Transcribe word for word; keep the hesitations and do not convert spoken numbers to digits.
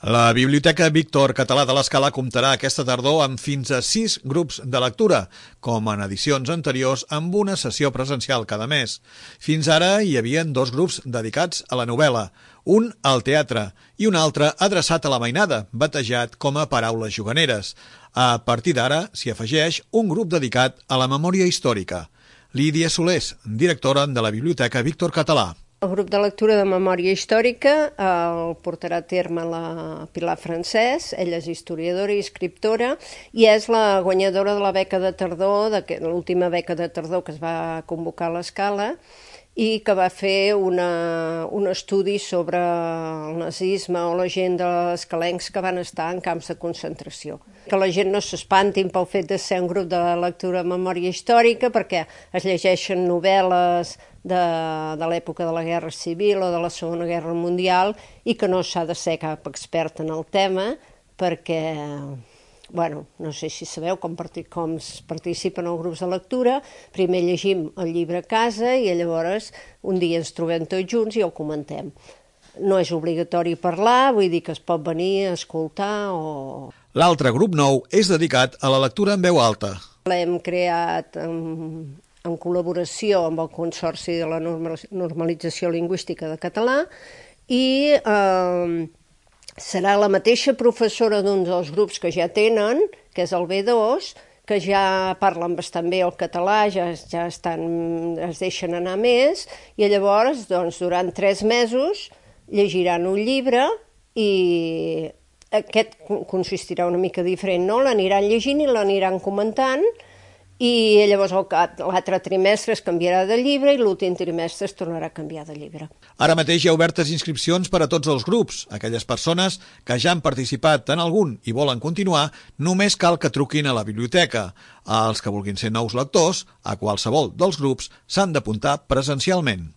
La Biblioteca Víctor Català de l'Escala comptarà aquesta tardor amb fins a sis grups de lectura, com en edicions anteriors amb una sessió presencial cada mes. Fins ara hi havia dos grups dedicats a la novel·la, un al teatre i un altre adreçat a la mainada, batejat com a Paraules Juganeres. A partir d'ara s'hi afegeix un grup dedicat a la memòria històrica. Lídia Solés, directora de la Biblioteca Víctor Català. El grup de lectura de memòria històrica el portarà a terme la Pilar Francès. Ella és historiadora i escriptora i és la guanyadora de la beca de tardor, de l'última beca de tardor que es va convocar a l'Escala i que va fer una, un estudi sobre el nazisme o la gent dels escalencs que van estar en camps de concentració. Que la gent no s'espantin pel fet de ser un grup de lectura de memòria històrica, perquè es llegeixen novel·les de, de l'època de la Guerra Civil o de la Segona Guerra Mundial i que no s'ha de ser cap expert en el tema, perquè bueno, no sé si sabeu com, com es participen els grups de lectura. Primer llegim el llibre a casa i llavors un dia ens trobem tots junts i el comentem. No és obligatori parlar, vull dir que es pot venir a escoltar o... L'altre grup nou és dedicat a la lectura en veu alta. L'hem creat en, en col·laboració amb el Consorci de la Normalització Lingüística de Català i... Eh, serà la mateixa professora d'un dels grups que ja tenen, que és el B dos, que ja parlen bastant bé el català, ja, ja estan, es deixen anar més, i llavors, doncs, durant tres mesos llegiran un llibre i aquest consistirà una mica diferent, no? L'aniran llegint i l'aniran comentant, i llavors l'altre trimestre es canviarà de llibre i l'últim trimestre es tornarà a canviar de llibre. Ara mateix hi ha obertes inscripcions per a tots els grups. Aquelles persones que ja han participat en algun i volen continuar, només cal que truquin a la biblioteca. Els que vulguin ser nous lectors, a qualsevol dels grups, s'han d'apuntar presencialment.